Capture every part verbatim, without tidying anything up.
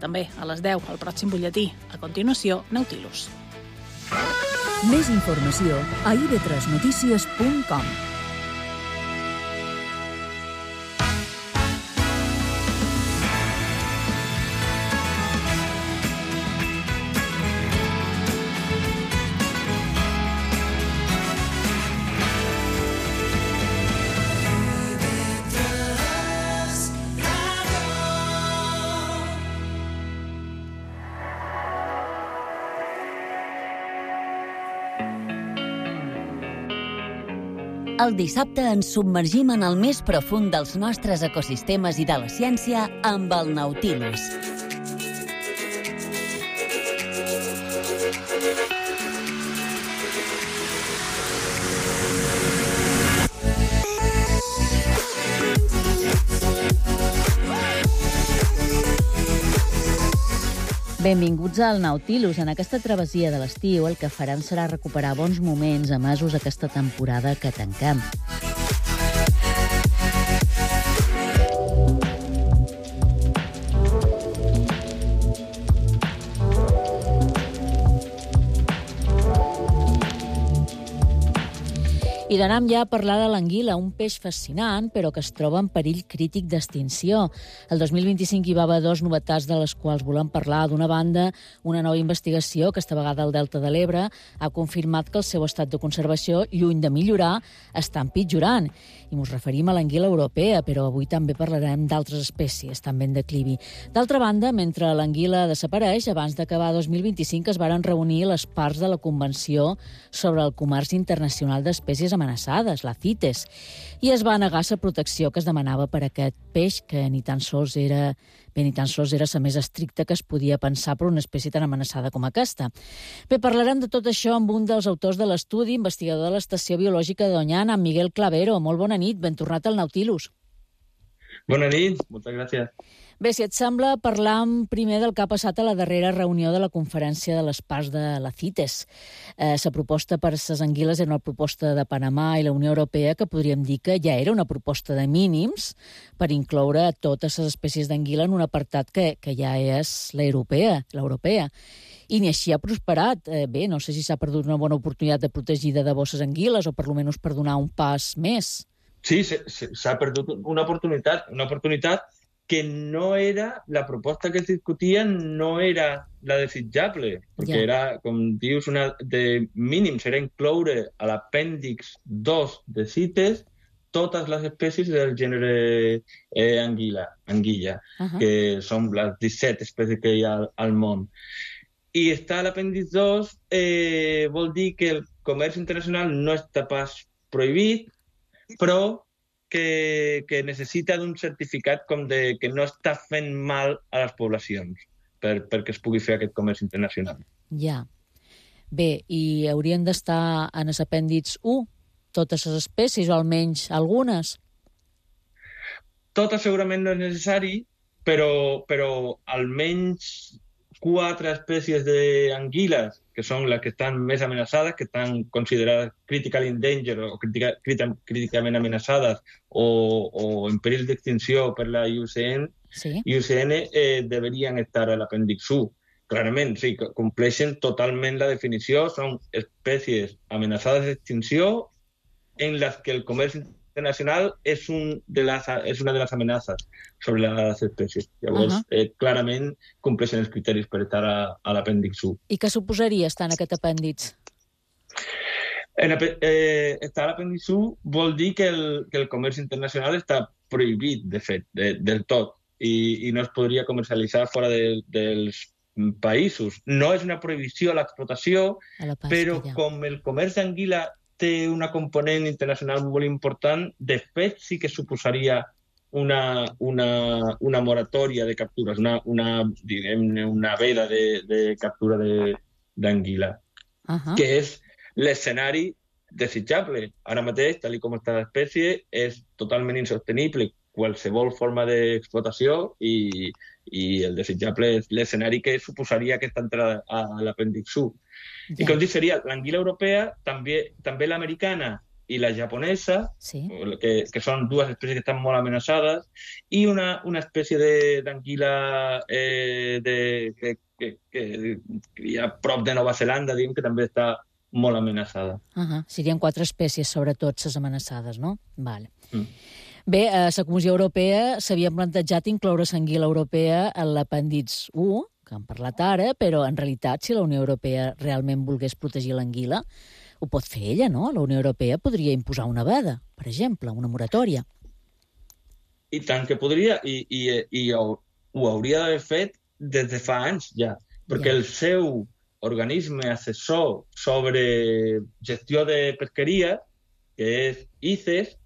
també a les deu, al pròxim butlletí. A continuació, Nautilus. Més informació a i ve tres notícies punt com. El dissabte ens submergim en el més profund dels nostres ecosistemes i de la ciència amb el Nautilus. Benvinguts al Nautilus. En aquesta travessia de l'estiu el que farem serà recuperar bons moments emesos aquesta temporada que tanquem. I d'anem ja a parlar de l'anguila, un peix fascinant, però que es troba en perill crític d'extinció. El dos mil vint-i-cinc hi va haver dues novetats de les quals volem parlar. D'una banda, una nova investigació, aquesta vegada al Delta de l'Ebre, ha confirmat que el seu estat de conservació, lluny de millorar, està empitjorant. I ens referim a l'anguila europea, però avui també parlarem d'altres espècies, també en declivi. D'altra banda, mentre l'anguila desapareix, abans d'acabar dos mil vint-i-cinc es varen reunir les parts de la Convenció sobre el Comerç Internacional d'Espècies amenaçades, la CITES, i es va negar la protecció que es demanava per a aquest peix, que ni tan sols era, bé, ni tan sols era la més estricta que es podia pensar per una espècie tan amenaçada com aquesta. Bé, parlarem de tot això amb un dels autors de l'estudi, investigador de l'Estació Biològica de Doñana, en Miguel Clavero. Molt bona nit, ben tornat al Nautilus. Bona nit, moltes gràcies. Bé, si et sembla, parlam primer del que ha passat a la darrera reunió de la Conferència de les Parts de la CITES. Eh, la proposta per les anguiles era una proposta de Panamà i la Unió Europea, que podríem dir que ja era una proposta de mínims per incloure totes les espècies d'anguila en un apartat que, que ja és l'europea, l'europea. I ni així ha prosperat. Eh, bé, no sé si s'ha perdut una bona oportunitat de protegir de debò les anguiles o per almenys per donar un pas més. Sí, s'ha perdut una oportunitat, una oportunitat que no era, la proposta que es discutia no era la desitjable, perquè ja. Era, com dius, una de mínims, era incloure a l'apèndix dos de CITES totes les espècies del gènere eh, anguila, anguilla, uh-huh. que són les disset espècies que hi ha al, al món. I estar a l'apèndix dos eh, vol dir que el comerç internacional no està pas prohibit, però que, que necessita d'un certificat com de que no està fent mal a les poblacions per, perquè es pugui fer aquest comerç internacional. Ja. Bé, i haurien d'estar en l'apèndix u totes les espècies, o almenys algunes? Totes segurament no és necessari, però, però almenys quatre espècies d'anguiles, que són les que estan més amenaçades, que estan considerades critical endangered o crítica, críticament amenaçades o, o en perill d'extinció per la I U C N, sí. I U C N eh, deberien estar a l'apèndix u. Clarament, sí, compleixen totalment la definició, són espècies amenaçades d'extinció en les que el comerç internacional és, un de les, és una de les amenaces sobre les espècies. Llavors, uh-huh. eh, clarament compleixen els criteris per estar a, a l'apèndix u. I què suposaria estar en aquest apèndix? En, eh, estar a l'apèndix u vol dir que el, que el comerç internacional està prohibit, de fet, de, del tot, i, i no es podria comercialitzar fora de, dels països. No és una prohibició a l'explotació, a la però ja. Com el comerç d'anguila té una component internacional molt important, de fet sí que suposaria una, una, una moratòria de captures, una, una, diguem-ne, una veda de, de captura d'anguila, uh-huh. que és l'escenari desitjable. Ara mateix, tal com està l'espècie, és totalment insostenible qualsevol forma d'explotació i, i el desitjable és l'escenari que suposaria aquesta entrada a l'apèndix u. I com dic, seria l'anguila europea, també, també l'americana, i la japonesa, sí. que, que són dues espècies que estan molt amenaçades, i una, una espècie de- d'anguila eh, de, que, que, que, que hi ha prop de Nova Zelanda, diguem, que també està molt amenaçada. Uh -huh. Serien quatre espècies, sobretot, les amenaçades, no? Vale. Mm. Bé, a la Comissió Europea s'havia plantejat incloure l'anguila europea en l'apèndix u, que hem parlat ara, però en realitat, si la Unió Europea realment volgués protegir l'anguila, ho pot fer ella, no? La Unió Europea podria imposar una veda, per exemple, una moratòria. I tant que podria, i, i, i ho, ho hauria d'haver fet des de fa anys ja, perquè Ja. el seu organisme assessor sobre gestió de pesqueria, que és I C E S,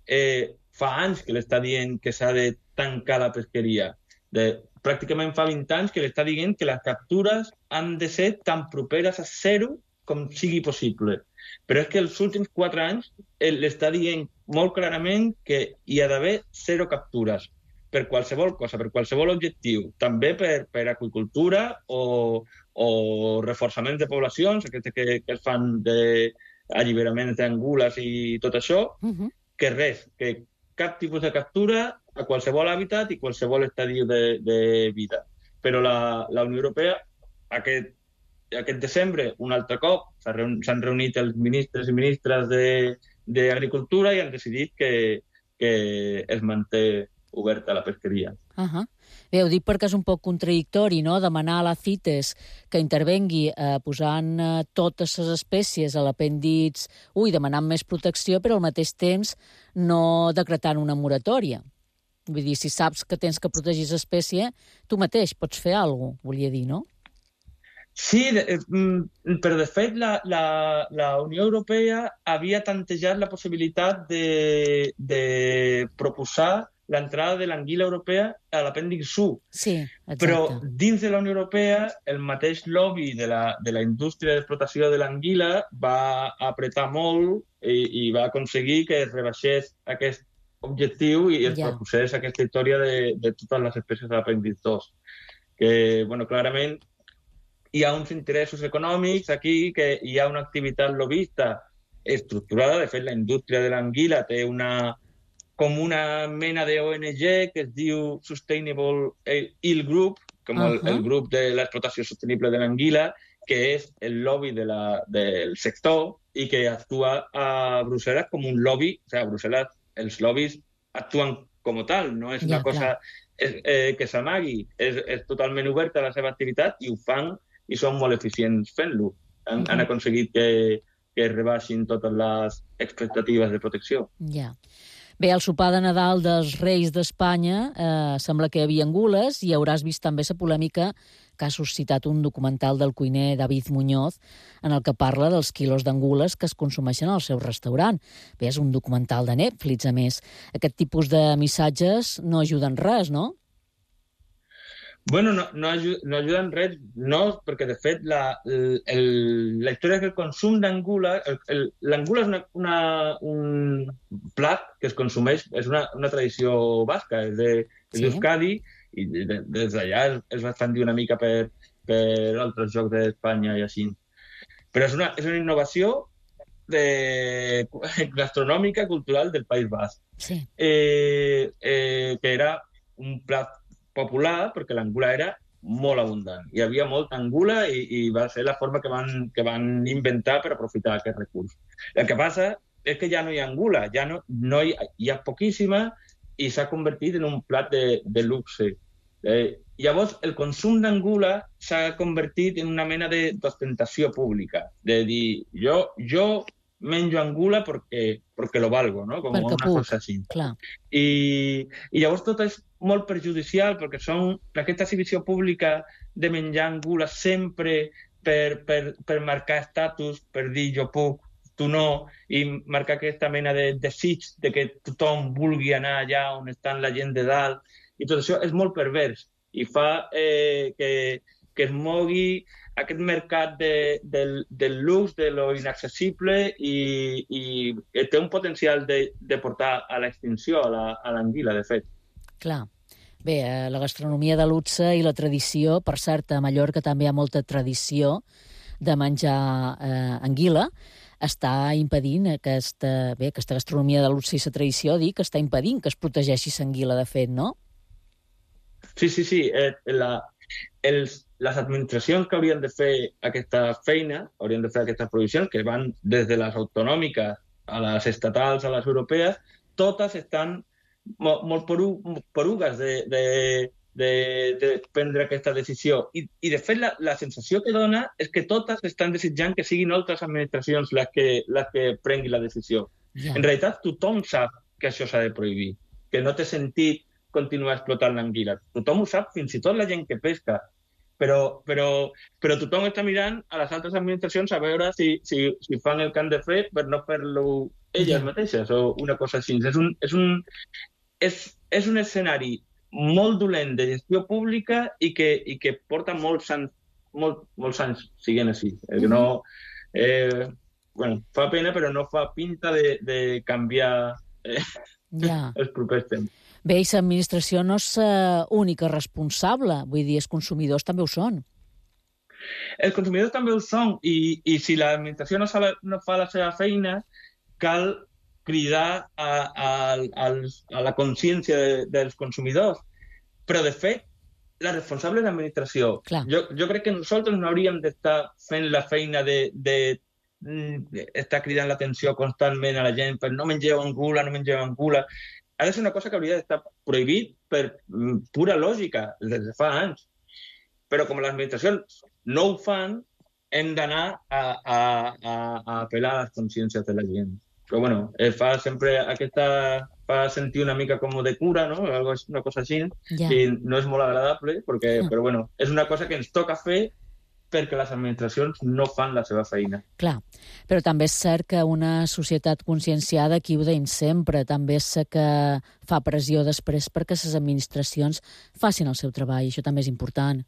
eh, fa anys que l'està dient que s'ha de tancar la pesqueria. De, pràcticament fa vint anys que l'està dient que les captures han de ser tan properes a zero com sigui possible. Però és que els últims quatre anys l'està dient molt clarament que hi ha d'haver zero captures per qualsevol cosa, per qualsevol objectiu, també per, per aqüicultura o, o reforçament de poblacions, aquestes que, que es fan d'alliberaments d'angules i tot això, Uh -huh. que res, que cap tipus de captura a qualsevol hàbitat i qualsevol estadi de, de vida. Però la, la Unió Europea, aquest, aquest desembre, un altre cop, s'ha reun, s'han reunit els ministres i ministres d'Agricultura i han decidit que, que es manté oberta la pesqueria. Uh -huh. Bé, ho dic perquè és un poc contradictori, no?, demanar a la CITES que intervengui eh, posant eh, totes les espècies a l'apèndix u i demanant més protecció, però al mateix temps no decretant una moratòria. Vull dir, si saps que tens que protegir l'espècie, tu mateix pots fer alguna cosa, volia dir, no? Sí, de, però de fet la, la, la Unió Europea havia tantejat la possibilitat de, de proposar l'entrada de l'anguila europea a l'apèndix u. Sí, exacte. Però dins de la Unió Europea el mateix lobby de la, de la indústria d'explotació de l'anguila va apretar molt i, i va aconseguir que es rebaixés aquest objectiu i es Ja. proposés aquesta història de, de totes les espècies de l'apèndix dos. Que, bueno, clarament hi ha uns interessos econòmics aquí, que hi ha una activitat lobista estructurada. De fet, la indústria de l'anguila té una com una mena de O N G que es diu Sustainable Eel Group, com uh -huh. el, el grup de l'explotació sostenible de l'anguila, que és el lobby de la, del sector i que actua a Brussel·les com un lobby. O sigui, a Brussel·les els lobbies actuen com tal, no és Ja, una cosa és, eh, que s'amagui, és, és totalment oberta la seva activitat i ho fan i són molt eficients fent-lo. Han, uh -huh. han aconseguit que, que rebaixin totes les expectatives de protecció. Ja. Bé, al sopar de Nadal dels Reis d'Espanya eh, sembla que hi havia angules i hauràs vist també la polèmica que ha suscitat un documental del cuiner David Muñoz en el que parla dels quilos d'angules que es consumeixen al seu restaurant. Bé, és un documental de Netflix, a més. Aquest tipus de missatges no ajuden res, no? Bueno, no, no, ajuda, no ajuda en res, no, perquè de fet la, el, la història que el consum d'angula, l'angula és una, una, un plat que es consumeix, és una, una tradició basca, és d'Euskadi, sí. I de, des d'allà es, es va expandir una mica per, per altres jocs d'Espanya i així. Però és una, és una innovació de, gastronòmica, cultural del País Basc, sí. eh, eh, que era un plat popular perquè l'angula era molt abundant. Hi havia molta angula i, i va ser la forma que van, que van inventar per aprofitar aquest recurs. El que passa és que ja no hi ha angula, ja no, no hi, hi ha poquíssima i s'ha convertit en un plat de, de luxe. Eh, llavors, el consum d'angula s'ha convertit en una mena d'ostentació pública, de dir, jo, jo menjo angula perquè, perquè lo valgo, no? Com perquè una puc, cosa així. Clar. I, I llavors tot és molt perjudicial perquè són aquesta exhibició pública de menjar angula sempre per, per, per marcar estatus, per dir jo puc, tu no, i marcar aquesta mena de desig de que tothom vulgui anar allà on està la gent de dalt. I tot això és molt pervers i fa eh, que, que es mogui aquest mercat de, del, del lux, de lo inaccessible i, i té un potencial de, de portar a l'extinció a l'anguila, de fet. Clar. Bé, eh, la gastronomia de luxe i la tradició, per cert, a Mallorca també hi ha molta tradició de menjar eh, anguila. està impedint aquesta, bé, aquesta gastronomia de luxe i la tradició, dic, que està impedint que es protegeixi l'anguila, de fet, no? Sí, sí, sí. Eh, la, els, les administracions que haurien de fer aquesta feina, haurien de fer aquestes provisions, que van des de les autonòmiques a les estatals, a les europees, totes estan molt, molt poru, porugues de, de, de, de prendre aquesta decisió. I, i de fet, la, la sensació que dona és que totes estan desitjant que siguin altres administracions les que, les que prenguin la decisió. Yeah. En realitat, tothom sap que això s'ha de prohibir, que no té sentit continuar explotant l'anguila. Tothom ho sap, fins i tot la gent que pesca. Però, però, però tothom està mirant a les altres administracions a veure si, si, si fan el que han de fer per no fer-lo elles yeah. mateixes o una cosa així. És un, és, un, és, és un escenari molt dolent de gestió pública i que, i que porta molts anys, molt, molts anys siguent així. Mm-hmm. No, eh, bueno, fa pena, però no fa pinta de, de canviar eh, yeah. els propers temps. Bé, i l'administració no és l'única responsable, vull dir, els consumidors també ho són. Els consumidors també ho són, i, i si l'administració no, no fa la seva feina, cal cridar a, a, a, a la consciència de, dels consumidors. Però, de fet, la responsable és l'administració. Jo, jo crec que nosaltres no hauríem d'estar fent la feina de, de, de estar cridant l'atenció constantment a la gent per no mengeu angula, no mengeu angula. Ha de ser una cosa que hauria d'estar prohibit per pura lògica, des de fa anys. Però com les administracions no ho fan, hem d'anar a, a, a, a apel·lar a les consciències de la gent. Però bueno, fa sempre aquesta... fa sentir una mica com de cura, no? Una cosa així, yeah. que no és molt agradable, perquè, mm. però bueno, és una cosa que ens toca fer perquè les administracions no fan la seva feina. Clar, però també és cert que una societat conscienciada, aquí ho deim sempre, també és que fa pressió després perquè les administracions facin el seu treball, això també és important.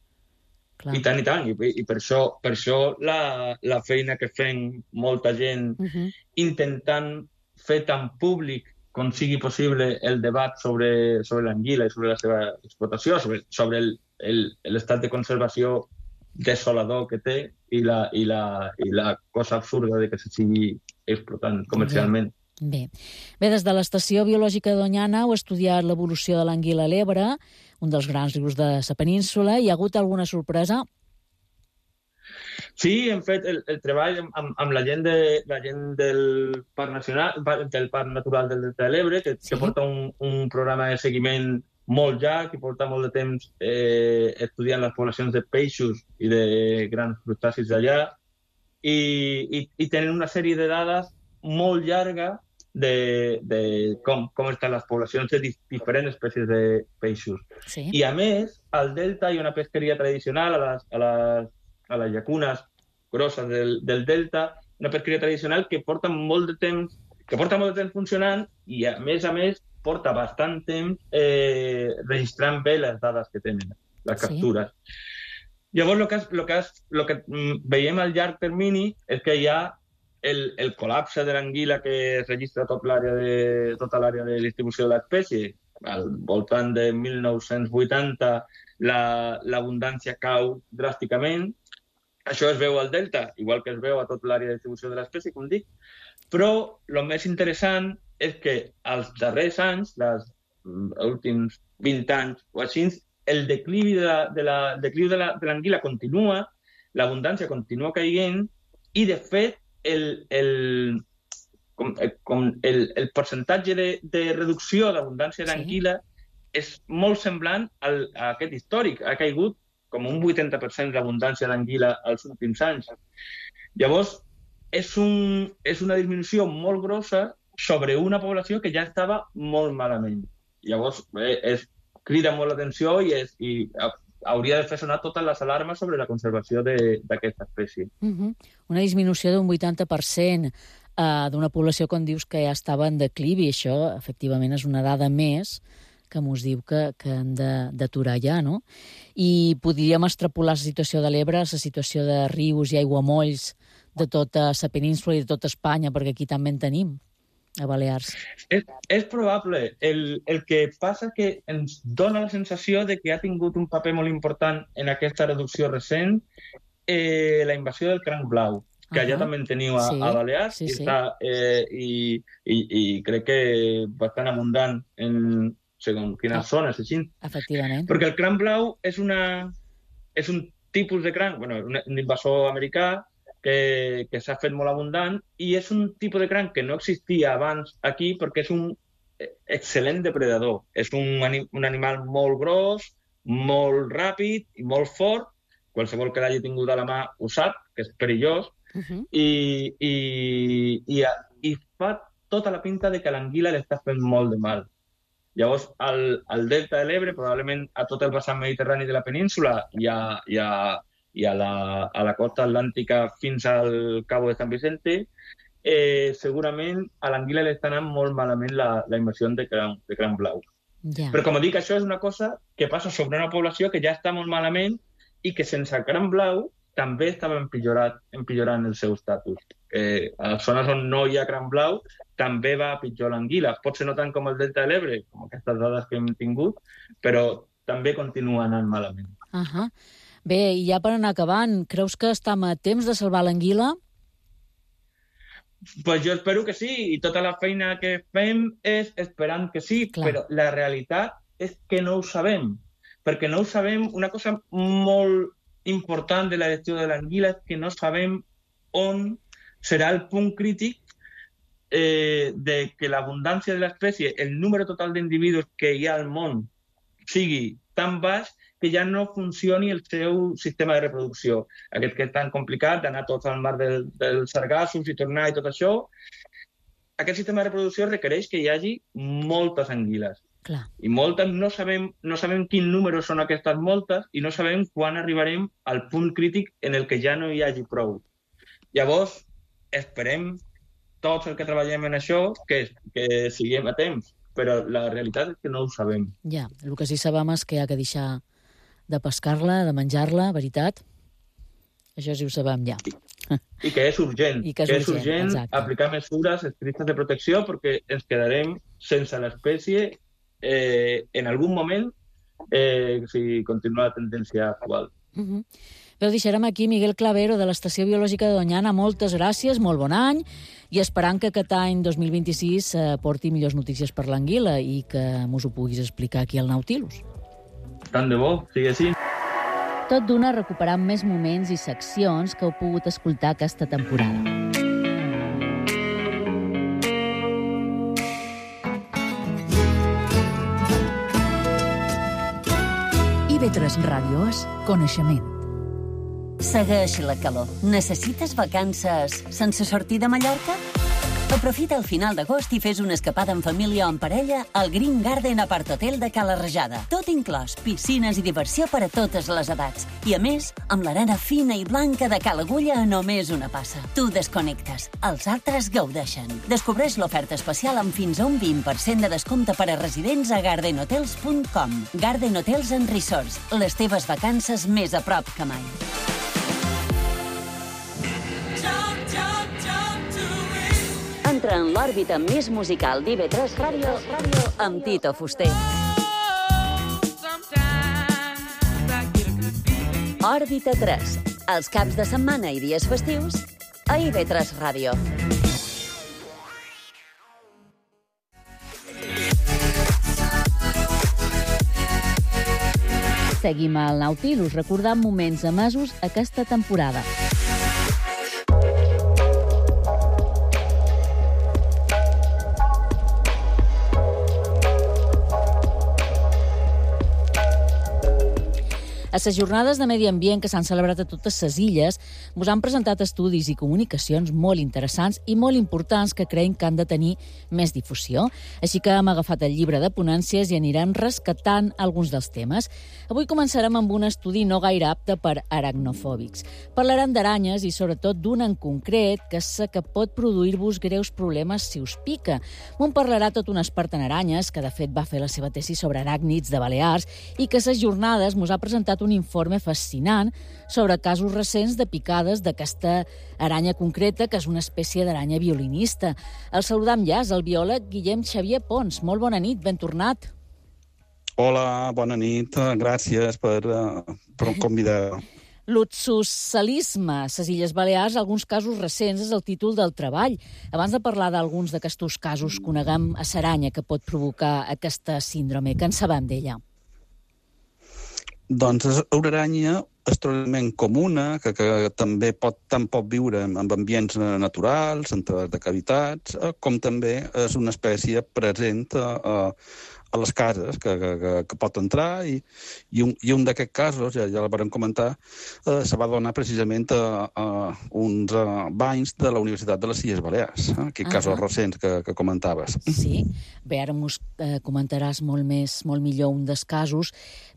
Clar. I tant, i tant, i, i per això, per això la, la feina que fem molta gent uh-huh. intentant fer tan públic com sigui possible el debat sobre, sobre l'anguila i sobre la seva explotació, sobre, sobre el, el, l'estat de conservació desolador que té i la, i, la, i la cosa absurda de que se sigui explotant comercialment. Bé. Bé, des de l'Estació Biològica de Doñana heu estudiat l'evolució de l'anguila a l'Ebre, un dels grans rius de la península. Hi ha hagut alguna sorpresa? Sí, hem fet el, el treball amb, amb la gent, de, la gent del Parc Nacional, del Parc Natural del Delta de l'Ebre, que, sí? que porta un, un programa de seguiment molt llarg, que porta molt de temps eh, estudiant les poblacions de peixos i de grans crustacis d'allà, i, i, i tenen una sèrie de dades molt llarga de, de com, com estan les poblacions de diferents espècies de peixos. Sí. I a més, al delta hi ha una pesqueria tradicional, a les, a les, a les llacunes grosses del, del delta, una pesqueria tradicional que porta molt de temps, que porta molt de temps funcionant i, a més a més, porta bastant temps eh, registrant bé les dades que tenen, les captures. Sí. Llavors, el que, lo que, lo que veiem al llarg termini és que hi ha el, el col·lapse de l'anguila que es registra tot l'àrea de, tota l'àrea de distribució de l'espècie. Al voltant de mil nou-cents vuitanta la, l'abundància cau dràsticament. Això es veu al delta, igual que es veu a tota l'àrea de distribució de l'espècie, com dic. Però el més interessant és que als darrers anys, els últims vint anys o així, el declivi de, la, de, la, declivi de, la, de l'anguila continua, l'abundància continua caient i, de fet, el, el, com, com el, el percentatge de, de reducció d'abundància d'anguila sí. és molt semblant al, a aquest històric. Ha caigut com un vuitanta per cent d'abundància d'anguila als últims anys. Llavors, és, un, és una disminució molt grossa sobre una població que ja estava molt malament. Llavors, eh, es crida molt l'atenció i, és, i hauria de fer sonar totes les alarmes sobre la conservació de, d'aquesta espècie. Uh-huh. Una disminució d'un vuitanta per cent uh, d'una població, com dius, que ja estava en declivi. Això, efectivament, és una dada més que mos diu que, que hem de, d'aturar ja, no? I podríem extrapolar la situació de l'Ebre, la situació de rius i aiguamolls de tota la península i de tota Espanya, perquè aquí també en tenim, a Balears. És, és probable. El, el que passa que ens dona la sensació de que ha tingut un paper molt important en aquesta reducció recent eh, la invasió del cranc blau. que allà uh-huh. també en teniu a, sí, a Balears, sí, i, sí. està, eh, i, i, i crec que bastant abundant en segons quines ah, zones, així. Efectivament. Perquè el cranc blau és, una, és un tipus de cranc, bueno, un, un invasor americà que, que s'ha fet molt abundant, i és un tipus de cranc que no existia abans aquí perquè és un excel·lent depredador. És un, anim, un animal molt gros, molt ràpid i molt fort. Qualsevol que l'hagi tingut a la mà ho sap, que és perillós, uh-huh. i, i, i, i fa tota la pinta de que l'anguila li està fent molt de mal. Llavors, al, al delta de l'Ebre, probablement a tot el vessant mediterrani de la península i a, i a, i a, la, a la costa atlàntica fins al Cabo de San Vicente, eh, segurament a l'anguila li està anant molt malament la, la invasió de cranc, de cranc blau. Yeah. Però, com dic, això és una cosa que passa sobre una població que ja està molt malament i que sense el cranc blau també estava empitjorat, empitjorant el seu estatus. Eh, a les zones on no hi ha cranc blau també va a pitjor l'anguila. Pot ser no tant com el delta de l'Ebre, com aquestes dades que hem tingut, però també continua anant malament. Uh-huh. Bé, i ja per anar acabant, creus que estem a temps de salvar l'anguila? Pues jo espero que sí, i tota la feina que fem és esperant que sí, clar. Però la realitat és que no ho sabem. Perquè no ho sabem, una cosa molt important de la gestió de l'anguila és que no sabem on serà el punt crític eh, de que l'abundància de l'espècie, el número total d'individus que hi ha al món sigui tan baix que ja no funcioni el seu sistema de reproducció. Aquest que és tan complicat d'anar tots al mar del, dels sargassos i tornar i tot això, aquest sistema de reproducció requereix que hi hagi moltes anguiles. Clar. I moltes no sabem, no sabem quin número són aquestes moltes i no sabem quan arribarem al punt crític en el que ja no hi hagi prou. Llavors, esperem tots els que treballem en això que, que siguem a temps, però la realitat és que no ho sabem. Ja, el que sí sabem és que hi ha que deixar de pescar-la, de menjar-la, veritat? Això sí ho sabem ja. I, i que és urgent. I que és que urgent, és urgent exacte. Aplicar mesures estrictes de protecció perquè ens quedarem sense l'espècie eh, en algun moment eh, si continua la tendència actual. Uh-huh. Bé, ho deixarem aquí. Miguel Clavero, de l'Estació Biològica de Doñana, moltes gràcies, molt bon any, i esperant que aquest any dos mil vint-i-sis eh, porti millors notícies per l'anguila i que mos ho puguis explicar aquí al Nautilus. Tant de bo, sigui així. Tot d'una recuperant més moments i seccions que heu pogut escoltar aquesta temporada. I ve tres Ràdio és coneixement. Segueix la calor. Necessites vacances sense sortir de Mallorca? Aprofita el final d'agost i fes una escapada en família o en parella al Green Garden Apart Hotel de Cala Rajada. Tot inclòs, piscines i diversió per a totes les edats. I a més, amb l'arena fina i blanca de Cala Agulla a només una passa. Tu desconnectes, els altres gaudeixen. Descobreix l'oferta especial amb fins a un vint per cent de descompte per a residents a garden hotels punt com. Garden Hotels and Resorts, les teves vacances més a prop que mai. Entra en l'òrbita més musical d'I V tres Ràdio amb Tito Fuster. Òrbita tres, els caps de setmana i dies festius a I V tres Ràdio. Seguim al Nautilus, recordant moments emesos aquesta temporada. A les jornades de medi ambient que s'han celebrat a totes les illes, us han presentat estudis i comunicacions molt interessants i molt importants que creiem que han de tenir més difusió. Així que hem agafat el llibre de ponències i anirem rescatant alguns dels temes. Avui començarem amb un estudi no gaire apte per aracnofòbics. Parlarem d'aranyes i sobretot d'una en concret que sé que pot produir-vos greus problemes si us pica. M'ho parlarà tot un expert en aranyes que de fet va fer la seva tesi sobre aràcnids de Balears i que a les jornades mos ha presentat un informe fascinant sobre casos recents de picades d'aquesta aranya concreta, que és una espècie d'aranya violinista. El saludam ja, és el biòleg Guillem Xavier Pons. Molt bona nit, ben tornat. Hola, bona nit. Gràcies per, uh, per convidar. L'oxoscelisme a les Illes Balears, alguns casos recents, és el títol del treball. Abans de parlar d'alguns d'aquests casos, coneguem a l'aranya que pot provocar aquesta síndrome. Què en sabem d'ella? Doncs és una aranya extraordinàriament comuna, que, que també pot, tant pot viure en ambients naturals, entre de cavitats, com també és una espècie present a, a, a les cases, que, que, que pot entrar, i, i un, i un d'aquests casos, ja, ja la vam comentar, eh, se va donar precisament a, a uns a, banys de la Universitat de les Illes Balears, eh, aquests uh-huh. casos recents que, que comentaves. Sí, bé, ara mos eh, comentaràs molt més, molt millor un dels casos,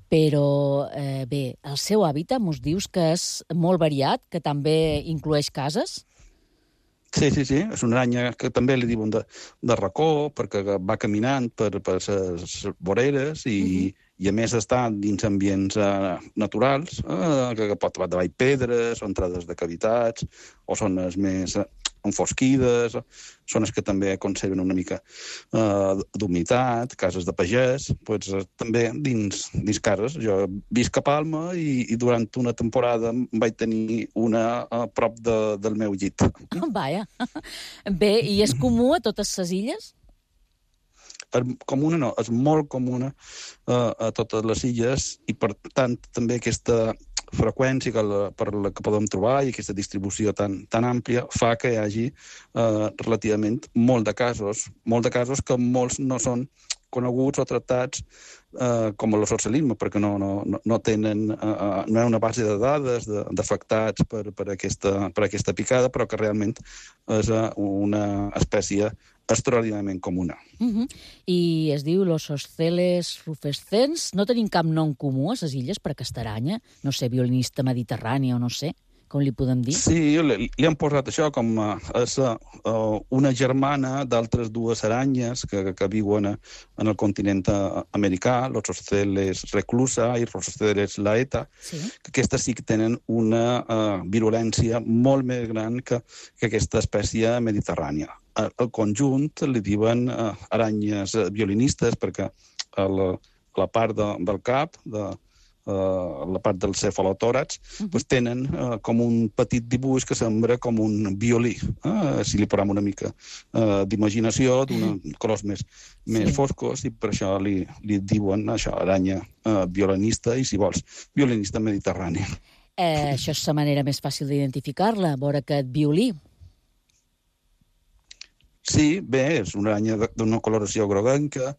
però eh, bé, el seu hàbitat mos dius que és molt variat, que també inclueix cases? Sí, sí, sí. És una aranya que també li diuen de, de racó, perquè va caminant per, per les voreres i, uh-huh. i a més està dins ambients uh, naturals, uh, que, que pot trobar davall pedres, o entrades de cavitats, o zones més uh, enfosquides, zones que també conserven una mica uh, d'humitat, cases de pagès, pues, uh, també dins, dins cases. Jo visc a Palma i, i durant una temporada vaig tenir una a prop de, del meu llit. Oh, vaja. Bé, i és comú a totes les illes? Comuna no, és molt comuna uh, a totes les illes i, per tant, també aquesta freqüència que, la, per la que podem trobar i aquesta distribució tan, tan àmplia fa que hi hagi eh, relativament molt de casos, molt de casos que molts no són coneguts o tractats eh, com el socialisme, perquè no, no, no tenen, eh, no hi ha una base de dades d'afectats per, per, aquesta, per aquesta picada, però que realment és una espècie extraordinàriament comuna. Uh-huh. I es diu los Osceles rufescens. No tenim cap nom comú a les illes per aquesta aranya? No sé, violinista mediterrani o no sé, com li podem dir? Sí, li, li han posat això com a, a, a una germana d'altres dues aranyes que, que viuen a, en el continent americà, los Osceles reclusa i los Osceles laeta, sí. que aquestes sí que tenen una uh, virulència molt més gran que, que aquesta espècie mediterrània. Al conjunt li diuen uh, aranyes violinistes perquè a la, a la part de, del cap, de, uh, la part del cefalotòrax, uh-huh. pues tenen uh, com un petit dibuix que sembla com un violí. Uh, si li posem una mica uh, d'imaginació, d'uns colors més, sí. més foscos, i per això li, li diuen això, aranya uh, violinista i, si vols, violinista mediterrani. Eh, això és la manera més fàcil d'identificar-la, veure aquest violí. Sí, bé, és una aranya d'una coloració groguenca,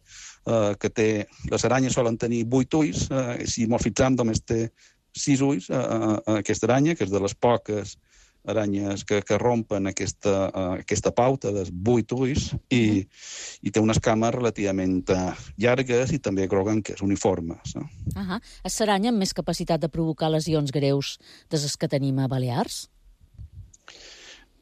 eh, que té... Les aranyes solen tenir vuit ulls, eh, si molt fixam només té sis ulls, eh, eh, aquesta aranya, que és de les poques aranyes que, que rompen aquesta, eh, aquesta pauta dels vuit ulls, i, i té unes cames relativament eh, llargues i també groguenques, uniformes. No? Uh-huh. És l'aranya amb més capacitat de provocar lesions greus de les que tenim a Balears?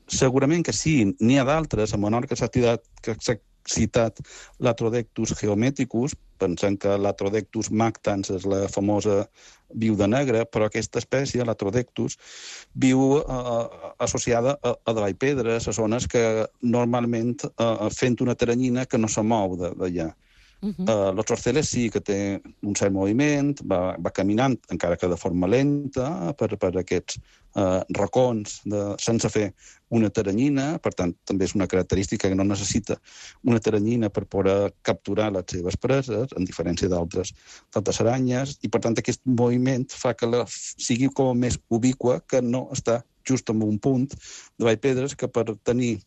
Segurament que sí, n'hi ha d'altres. A Menorca s'ha citat, que s'ha citat l'Atrodectus geometricus, pensant que l'Atrodectus mactans és la famosa viuda negra, però aquesta espècie, l'Atrodectus, viu eh, associada a, a davall pedres, a zones que normalment eh, fent una teranyina que no se mou d'allà. Uh-huh. Uh, los Osceles sí que té un cert moviment, va, va caminant, encara que de forma lenta, per, per aquests uh, racons de, sense fer una teranyina. Per tant, també és una característica que no necessita una teranyina per poder capturar les seves preses, en diferència d'altres d'altres aranyes, i per tant aquest moviment fa que la, sigui com més ubiqua, que no està just en un punt de vall pedres, que per tenir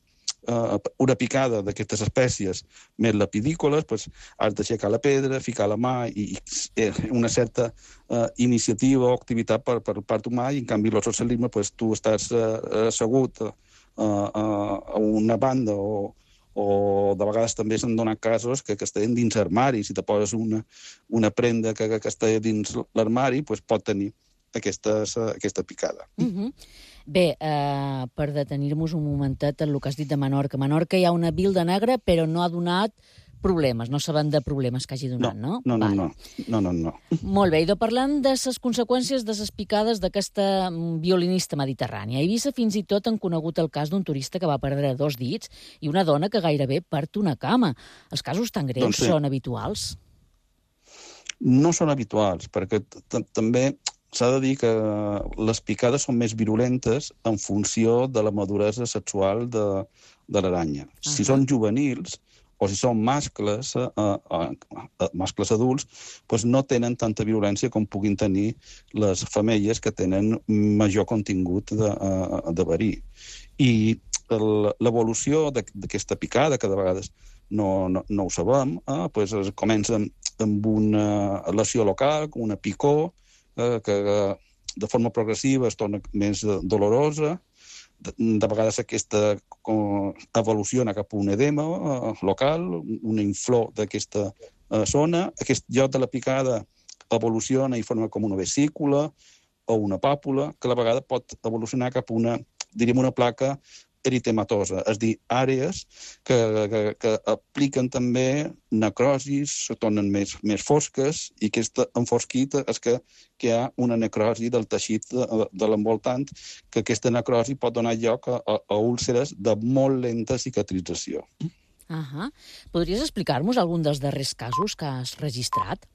Uh, una picada d'aquestes espècies més lapidícoles, pues, has d'aixecar la pedra, ficar la mà i, i una certa uh, iniciativa o activitat per, per part humà, i en canvi l'oscelisme, pues, tu estàs uh, assegut uh, uh, a una banda o, o de vegades també s'han donat casos que, que estan dins armari. Si te poses una, una prenda que, que està dins l'armari, pues, pot tenir aquestes, uh, aquesta picada. Mm-hmm. Bé, eh, per detenir-nos un momentet en el que has dit de Menorca. A Menorca hi ha una viuda negra, però no ha donat problemes, no sabem de problemes que hagi donat, no? No, no, no, no, no, no. Molt bé, i parlant de les conseqüències de les picades d'aquesta violinista mediterrània. A Eivissa fins i tot han conegut el cas d'un turista que va perdre dos dits i una dona que gairebé perd una cama. Els casos tan greus doncs sí. són habituals? No són habituals, perquè també s'ha de dir que les picades són més virulentes en funció de la maduresa sexual de, de l'aranya. Uh-huh. Si són juvenils o si són mascles, eh, eh, mascles adults, doncs no tenen tanta virulència com puguin tenir les femelles que tenen major contingut de, de verí. I l'evolució d'aquesta picada, que de vegades no, no, no ho sabem, eh, doncs comença amb una lesió local, una picor, eh, que de forma progressiva es torna més dolorosa. De, de vegades aquesta evoluciona cap a un edema eh, local, una inflor d'aquesta eh, zona. Aquest lloc de la picada evoluciona i forma com una vesícula o una pàpula, que a la vegada pot evolucionar cap a una, diríem, una placa eritematosa, és a dir, àrees que, que, que apliquen també necrosis, se tornen més, més fosques, i aquesta enfosquita és que, que hi ha una necrosi del teixit de, de l'envoltant, que aquesta necrosi pot donar lloc a, a, a úlceres de molt lenta cicatrització. Uh-huh. Podries explicar-nos algun dels darrers casos que has registrat?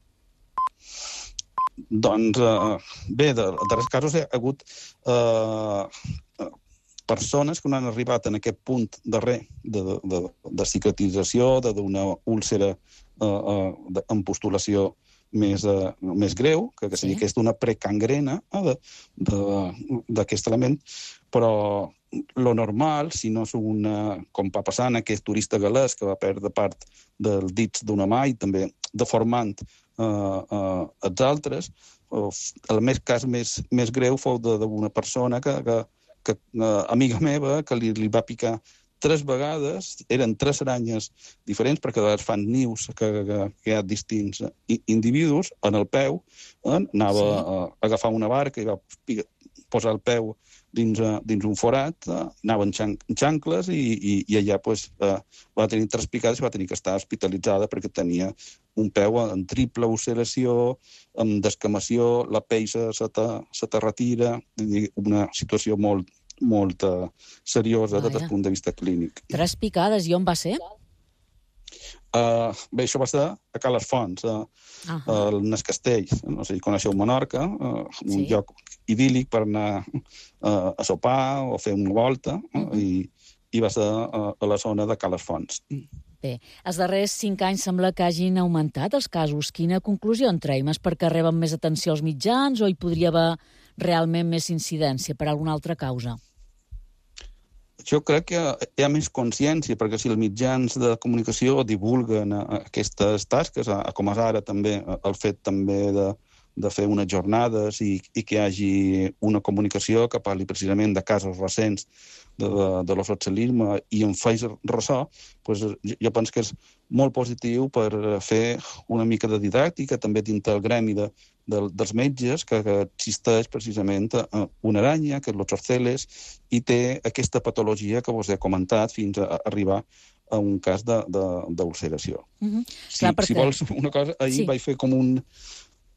Doncs, eh, bé, de, de darrers casos hi ha hagut eh, persones que no han arribat en aquest punt darrer de, de, de, de cicatrització, d'una úlcera eh, eh, amb postulació més, eh, més greu, que, que seria sí. aquesta una precangrena eh, d'aquest element, però lo normal, si no és una, com va passar en aquest turista galès que va perdre part dels dits d'una mà i també deformant eh, eh, els altres, el més cas més, més greu fou d'una persona que, que que, uh, amiga meva, que li, li va picar tres vegades, eren tres aranyes diferents, perquè de vegades fan nius que, que, que hi ha distints individus, en el peu, eh, anava sí. a, a agafar una barca i va posar el peu dins, uh, dins un forat, uh, anava en, xan en xancles i, i, i allà pues, uh, va tenir tres picades i va tenir que estar hospitalitzada perquè tenia un peu en triple ulceració, amb descamació, la pell se, se, te, se te retira, una situació molt, molt uh, seriosa des del punt de vista clínic. Tres picades, i on va ser? Uh, bé, això va ser a Cales Fonts, uh, uh -huh. uh, en el castell, no sé si coneixeu Menorca, uh, un sí. lloc idíl·lic per anar uh, a sopar o fer una volta, uh, uh -huh. i, i va ser uh, a la zona de Cales Fonts. Bé, els darrers cinc anys sembla que hagin augmentat els casos. Quina conclusió en treiem? És perquè reben més atenció als mitjans o hi podria haver realment més incidència per alguna altra causa? Jo crec que hi ha més consciència, perquè si els mitjans de comunicació divulguen aquestes tasques, com és ara també el fet també de, de fer unes jornades i, i que hi hagi una comunicació que parli precisament de casos recents de, de, de l'ozoxelisme i en faig ressò, doncs jo penso que és molt positiu per fer una mica de didàctica, també dintre el gremi de, de, dels metges, que, que existeix precisament una aranya, que és l'ozoceles, i té aquesta patologia que vos he comentat fins a arribar a un cas d'ulceració. Mm-hmm. Si, si vols una cosa, ahir sí. vaig fer com un...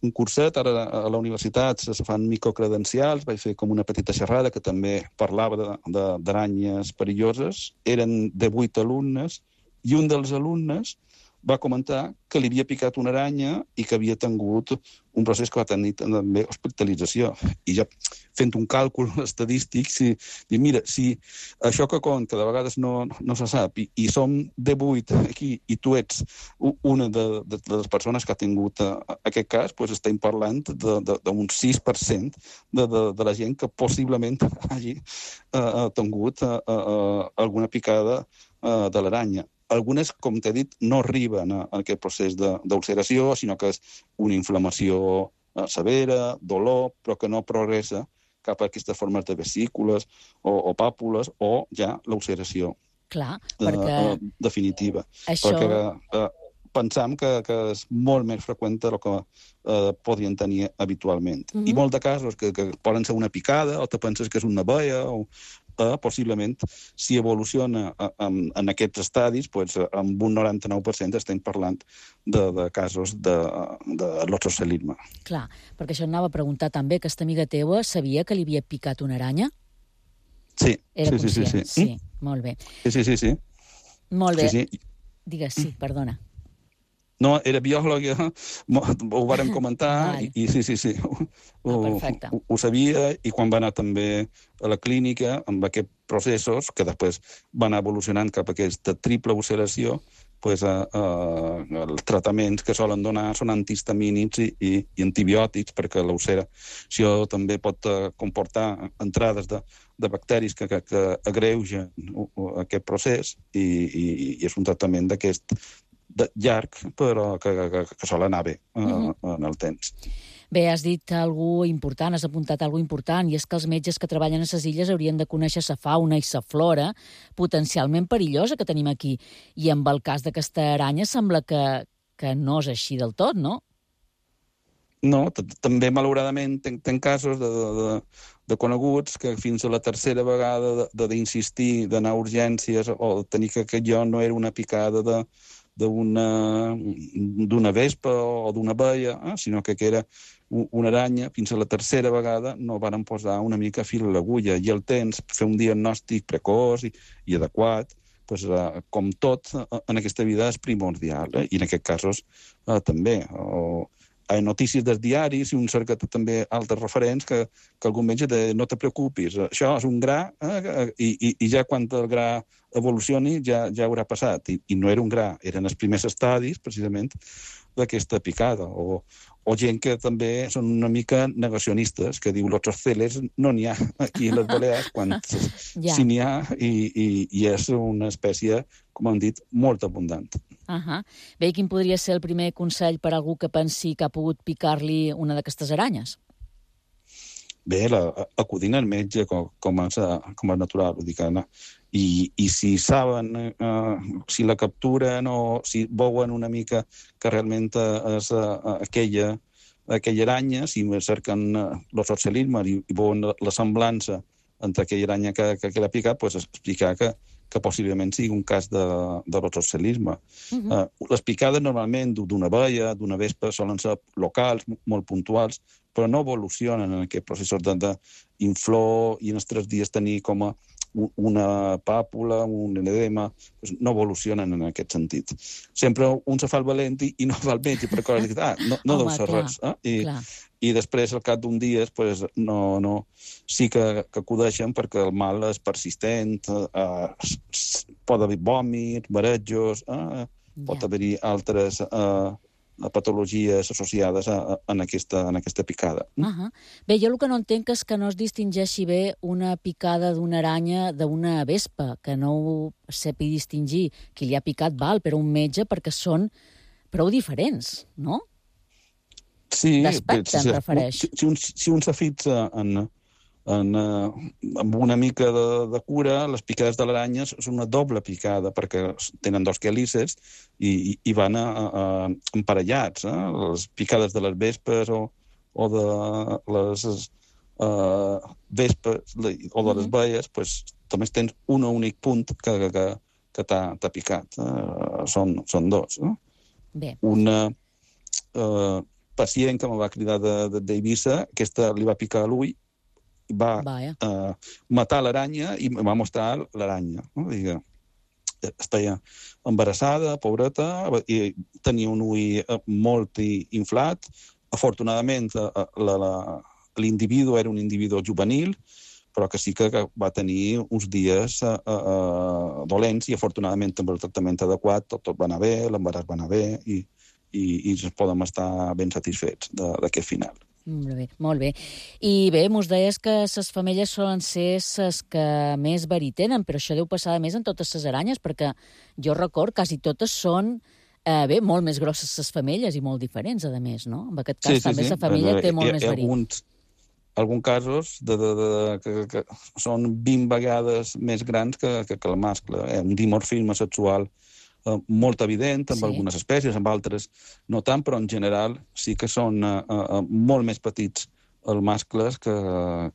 un curset, ara a la universitat se fan microcredencials, vaig fer com una petita xerrada que també parlava d'aranyes perilloses. Eren de vuit alumnes i un dels alumnes va comentar que li havia picat una aranya i que havia tingut un procés que va tenir també hospitalització. I ja fent un càlcul estadístic, si, i mira, si això que compta de vegades no, no se sap i, i som de vuit aquí i tu ets una de, de, de les persones que ha tingut uh, aquest cas, doncs estem parlant d'un sis per cent de, de, de la gent que possiblement hagi uh, tingut uh, uh, alguna picada uh, de l'aranya. Algunes, com t'he dit, no arriben a aquest procés d'ulceració, sinó que és una inflamació severa, dolor, però que no progressa cap a aquestes formes de vesícules o, o pàpules o ja l'ulceració. Clar, perquè... Uh, definitiva. Això... Perquè uh, pensam que, que és molt més freqüent del que uh, podien tenir habitualment. Mm-hmm. I molts de casos que, que poden ser una picada o te penses que és una veia o... Uh, possiblement, si evoluciona uh, en, en aquests estadis, pues, amb un noranta-nou per cent estem parlant de, de casos de, de l'ozocelisme. Clar, perquè això anava a preguntar també, aquesta amiga teua sabia que li havia picat una aranya? Sí. Era sí, conscient? Sí, sí, sí. Sí, molt bé. Sí, sí, sí. sí. Molt bé. Sí, sí. Digues, sí, perdona. No, era biòloga, ho vàrem comentar, i, i sí, sí, sí, ho, ah, ho, ho sabia, i quan va anar també a la clínica, amb aquests processos, que després van anar evolucionant cap a aquesta triple ulceració, pues, eh, eh, els tractaments que solen donar són antihistamínics i, i, i antibiòtics, perquè l'ulceració també pot eh, comportar entrades de, de bacteris que, que, que agreugen aquest procés, i, i, i és un tractament d'aquest llarg, però que, que, que sol anar bé eh, mm-hmm. en el temps. Bé, has dit alguna important, has apuntat alguna important, i és que els metges que treballen a les illes haurien de conèixer la fauna i la flora potencialment perillosa que tenim aquí. I amb el cas d'aquesta aranya sembla que, que no és així del tot, no? No, també, malauradament, ten casos de, de, de coneguts que fins a la tercera vegada d'insistir, d'anar a urgències o tenir que, que jo no era una picada de d'una d'una vespa o d'una abella, eh? sinó que, que era una aranya, fins a la tercera vegada no varen posar una mica fil a l'agulla, i el temps per fer un diagnòstic precoç i, i adequat, pues, eh, com tot en aquesta vida, és primordial, eh? i en aquests casos eh, també. O, hi ha notícies dels diaris i un cerca també altres referents que, que algun metge de no te preocupis, això és un gra eh, i, i, i ja quan el gra evolucioni ja, ja haurà passat. I, I no era un gra, eren els primers estadis, precisament, d'aquesta picada. O, o gent que també són una mica negacionistes, que diu los oceles no n'hi ha aquí a les Balears, quan ja. sí n'hi ha, i, i, i és una espècie, com hem dit, molt abundant. Uh -huh. Bé, quin podria ser el primer consell per a algú que pensi que ha pogut picar-li una d'aquestes aranyes? Bé, la, acudint al metge com, com, és, com és natural, vull dir que, no? I, i si saben, eh, si la capturen o si veuen una mica que realment és uh, aquella, aquella aranya, si cerquen uh, l'oxocelisme i, i veuen la, la semblança entre aquella aranya que, que, que l'ha picat, pues explicar que que possiblement sigui un cas de, de l'oxocelisme. Uh-huh. uh, les picades normalment d'una abella, d'una vespa, solen ser locals, molt puntuals, però no evolucionen en aquests processos d'inflor i en els tres dies tenir com a una pàpula, un edema, doncs no evolucionen en aquest sentit. Sempre un se fa el valent i no va al metge per coses que ah, no, no deu ser res. Eh? I, I després, al cap d'un dia, pues, no, no, sí que, que acudeixen perquè el mal és persistent, eh, pot haver vòmits, marejos, eh, pot haver-hi altres eh, patologies associades a, a, en, aquesta, en aquesta picada. Uh -huh. Bé, jo el que no entenc és que no es distingeixi bé una picada d'una aranya d'una vespa, que no ho sepi distingir qui li ha picat val, però un metge, perquè són prou diferents, no? Sí. D'aspecte, em refereix. Si, si un, si un se fixa en, en, amb una mica de, de cura, les picades de l'aranya són una doble picada, perquè tenen dos quelícers i, i van a, a, emparellats. Eh? Les picades de les vespes o, o de les uh, vespes o de les mm-hmm. baies, pues, només tens un únic punt que, que, que t'ha picat. Eh? Són, són dos. Eh? Bé. Una uh, pacient que me va cridar d'Eivissa, aquesta li va picar a l'ull, va uh, matar l'aranya i em va mostrar l'aranya. No? Digue, estava embarassada, pobreta, i tenia un ull molt inflat. Afortunadament, l'individu era un individu juvenil, però que sí que va tenir uns dies uh, uh, dolents i, afortunadament, amb el tractament adequat, tot, tot va anar bé, l'embaràs va anar bé i, i, i ens podem estar ben satisfets d'aquest final. Molt bé, molt bé. I bé, mos deies que les femelles solen ser les que més verí tenen, però això deu passar a més en totes les aranyes, perquè jo record quasi totes són eh, bé, molt més grosses les femelles i molt diferents, a més, no? En aquest cas sí, també sí, sí. La femella eh, té molt hi, més verí. Alguns, alguns casos de, de, de, que, que són vint vegades més grans que, que, que el mascle. Eh? Un dimorfisme sexual Uh, molt evident amb sí. algunes espècies, amb altres no tant, però en general sí que són uh, uh, molt més petits els mascles que,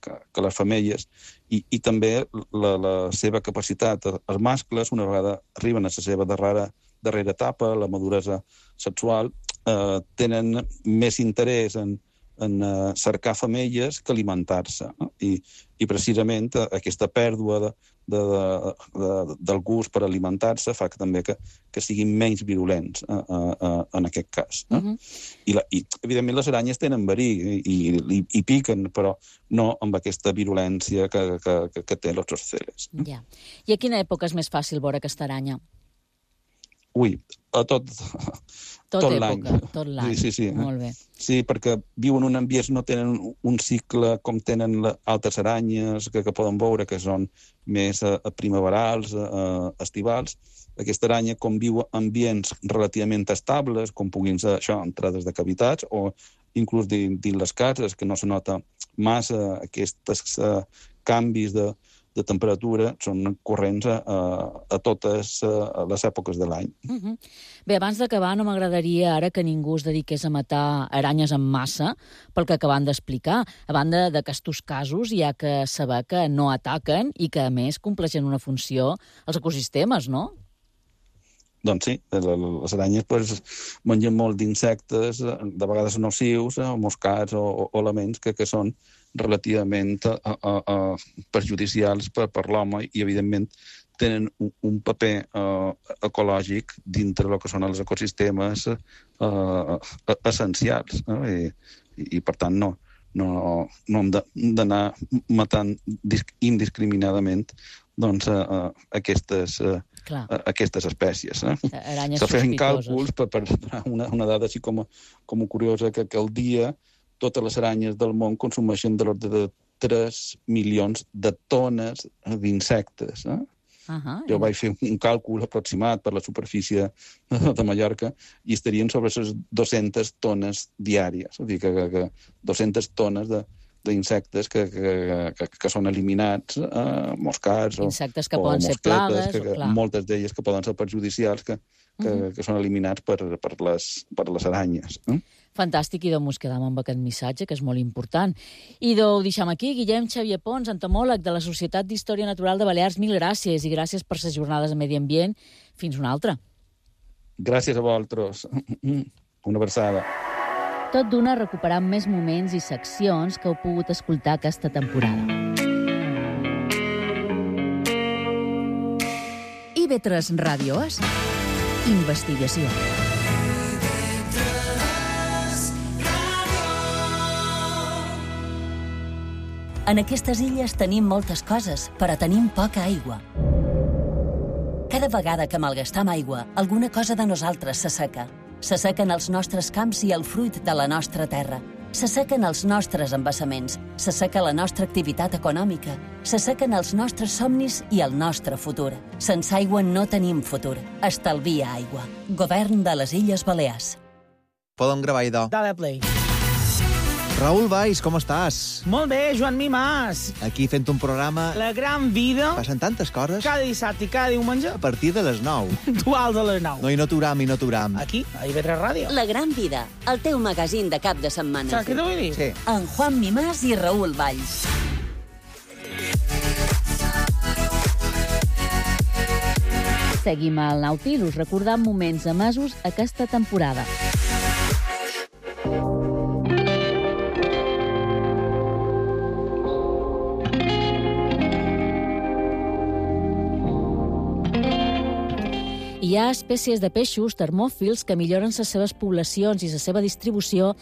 que, que les femelles, i, i també la, la seva capacitat, els mascles, una vegada arriben a la seva darrera, darrera etapa, la maduresa sexual, uh, tenen més interès en, en uh, cercar femelles que alimentar-se. No? I, I precisament uh, aquesta pèrdua de, de, de, de, del gust per alimentar-se fa que també que, que siguin menys virulents uh, uh, uh, en aquest cas. No? Uh-huh. I, la, I, evidentment, les aranyes tenen verí i, i, i piquen, però no amb aquesta virulència que, que, que, que té los zorceles. Ja. I a quina època és més fàcil veure aquesta aranya? Ui, a tot... Tot, tot època, l'any. tot l'any. Sí, sí, sí. Molt bé. Sí, perquè viuen en ambients, no tenen un cicle com tenen les altres aranyes que, que poden veure, que són més uh, primaverals, uh, estivals. Aquesta aranya, com viu en ambients relativament estables, com puguin ser això, entrades de cavitats, o inclús dins, dins les cases, que no se nota massa aquests uh, canvis de de temperatura, són corrents a, a totes a les èpoques de l'any. Uh-huh. Bé, abans d'acabar, no m'agradaria ara que ningú es dediqués a matar aranyes en massa, pel que acabem d'explicar. A banda d'aquests casos, hi ha que saber que no ataquen i que, a més, compleixen una funció als ecosistemes, no? Doncs sí, les aranyes pues, mengen molt d'insectes, de vegades nocius, o moscats o, o elements que, que són relativament a, a, a perjudicials per, per l'home i, evidentment, tenen un, un paper uh, ecològic dintre del que són els ecosistemes uh, essencials. No? I, i, I, per tant, no, no, no hem d'anar matant indiscriminadament doncs, uh, aquestes, uh, uh, aquestes espècies. Eh? Aranyes Se feien càlculs per, per una, una dada així com, com curiosa, que, que al dia totes les aranyes del món consumeixen de l'ordre de tres milions de tones d'insectes. Eh? Uh-huh. Jo vaig fer un càlcul aproximat per la superfície de Mallorca i estarien sobre les dues-centes tones diàries. És a dir, que, que, que dues-centes tones de, d'insectes que, que, que, que són eliminats, eh, moscats o, insectes que o poden mosquetes, ser plagues, que, que, moltes d'elles que poden ser perjudicials, que, que, uh-huh. que són eliminats per, per, les, per les aranyes. Eh? Fantàstic, i doncs ens quedam amb aquest missatge, que és molt important. I doncs ho deixem aquí. Guillem Xavier Pons, entomòleg de la Societat d'Història Natural de Balears, mil gràcies, i gràcies per les jornades de Medi Ambient. Fins una altra. Gràcies a vosaltres. Una abraçada. Tot d'una recuperant més moments i seccions que heu pogut escoltar aquesta temporada. I ve tres Ràdios. Investigació. En aquestes illes tenim moltes coses, però tenim poca aigua. Cada vegada que malgastam aigua, alguna cosa de nosaltres s'asseca. S'assequen els nostres camps i el fruit de la nostra terra. S'assequen els nostres embassaments. S'asseca la nostra activitat econòmica. S'assequen els nostres somnis i el nostre futur. Sense aigua no tenim futur. Estalvia aigua. Govern de les Illes Balears. Podem gravar, idò. Dale play. Raül Valls, com estàs? Molt bé, Joan Mimàs. Aquí fent un programa... La gran vida. Passen tantes coses. Cada dissabte i cada diumenge. A partir de les nou. Duals a les nou. No, i no t'uram, i no t'uram. Aquí, a I V tres Ràdio. La gran vida, el teu magazín de cap de setmana. Saps què t'ho vull dir? Sí. En Juan Mimàs i Raül Valls. Seguim al Nautilus, recordant moments emesos aquesta temporada. Hi ha espècies de peixos termòfils que milloren les seves poblacions i la seva distribució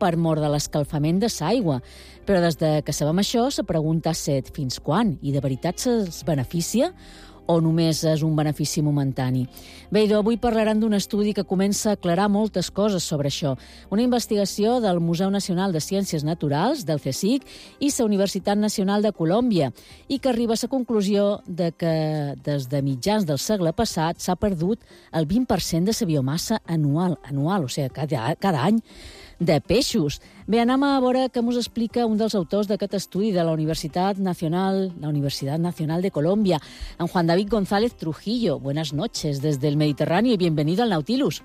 per mort de l'escalfament de l'aigua. Però des de que sabem això, se pregunta set fins quan, i de veritat se'ls beneficia o només és un benefici momentani? Bé, idò, avui parlaran d'un estudi que comença a aclarar moltes coses sobre això. Una investigació del Museu Nacional de Ciències Naturals, del CSIC, i la Universitat Nacional de Colòmbia, i que arriba a la conclusió de que des de mitjans del segle passat s'ha perdut el vint per cent de la biomassa anual, anual, o sigui, cada, cada any, de peixos. Bé, anem a veure què ens explica un dels autors d'aquest estudi de la Universitat Nacional, la Universitat Nacional de Colombia, en Juan David González Trujillo. Buenas noches desde el Mediterráneo y bienvenido al Nautilus.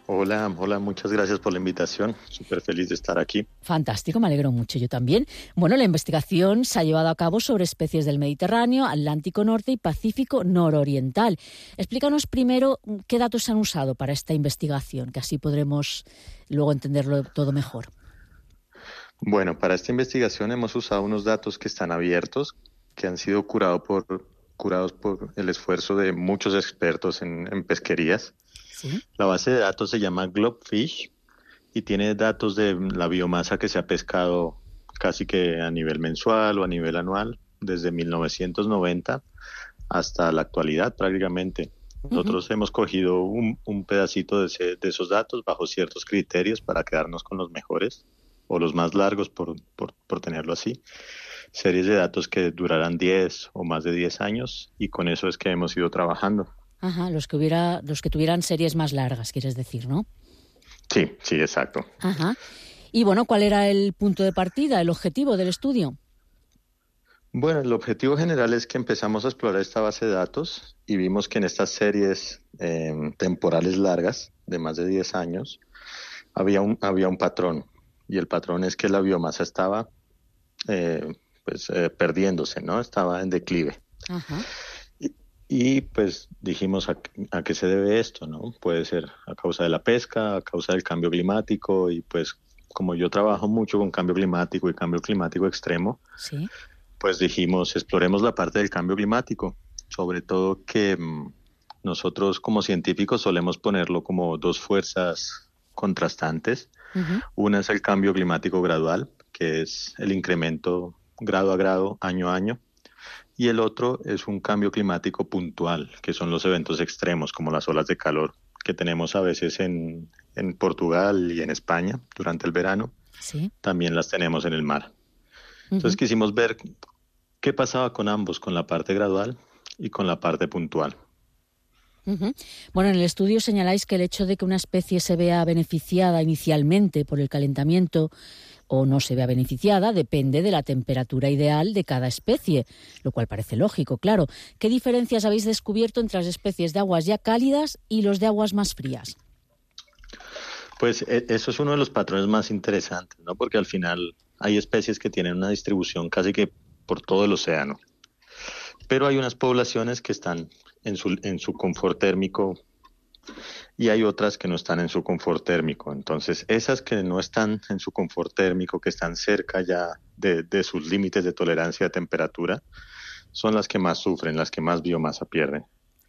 Hola, hola, muchas gracias por la invitación. Súper feliz de estar aquí. Fantástico, me alegro mucho, yo también. Bueno, la investigación se ha llevado a cabo sobre especies del Mediterráneo, Atlántico Norte y Pacífico Nororiental. Explícanos primero qué datos se han usado para esta investigación, que así podremos luego entenderlo todo mejor. Bueno, para esta investigación hemos usado unos datos que están abiertos, que han sido curados por, curados por el esfuerzo de muchos expertos en, en pesquerías. ¿Sí? La base de datos se llama Globfish y tiene datos de la biomasa que se ha pescado casi que a nivel mensual o a nivel anual, desde mil novecientos noventa hasta la actualidad prácticamente. Nosotros uh-huh. hemos cogido un, un pedacito de, ese, de esos datos bajo ciertos criterios para quedarnos con los mejores o los más largos, por, por, por tenerlo así. Series de datos que durarán diez o más de diez años y con eso es que hemos ido trabajando. Ajá, los que hubiera, los que tuvieran series más largas, quieres decir, ¿no? Sí, sí, exacto. Ajá. Y bueno, ¿cuál era el punto de partida, el objetivo del estudio? Bueno, el objetivo general es que empezamos a explorar esta base de datos y vimos que en estas series eh, temporales largas, de más de diez años, había un, había un patrón. Y el patrón es que la biomasa estaba eh, pues, eh, perdiéndose, ¿no? Estaba en declive. Ajá. Y, y pues dijimos a, a qué se debe esto, ¿no? Puede ser a causa de la pesca, a causa del cambio climático y pues como yo trabajo mucho con cambio climático y cambio climático extremo, sí. pues dijimos, exploremos la parte del cambio climático, sobre todo que mmm, nosotros como científicos solemos ponerlo como dos fuerzas contrastantes. Uh-huh. Una es el cambio climático gradual, que es el incremento grado a grado, año a año, y el otro es un cambio climático puntual, que son los eventos extremos, como las olas de calor, que tenemos a veces en, en Portugal y en España durante el verano. Sí. También las tenemos en el mar. Entonces uh-huh. quisimos ver qué pasaba con ambos, con la parte gradual y con la parte puntual. Uh-huh. Bueno, en el estudio señaláis que el hecho de que una especie se vea beneficiada inicialmente por el calentamiento o no se vea beneficiada depende de la temperatura ideal de cada especie, lo cual parece lógico, claro. ¿Qué diferencias habéis descubierto entre las especies de aguas ya cálidas y los de aguas más frías? Pues eso es uno de los patrones más interesantes, ¿no? Porque al final hay especies que tienen una distribución casi que por todo el océano, pero hay unas poblaciones que están en su, en su confort térmico y hay otras que no están en su confort térmico. Entonces, esas que no están en su confort térmico, que están cerca ya de, de sus límites de tolerancia de temperatura, son las que más sufren, las que más biomasa pierden.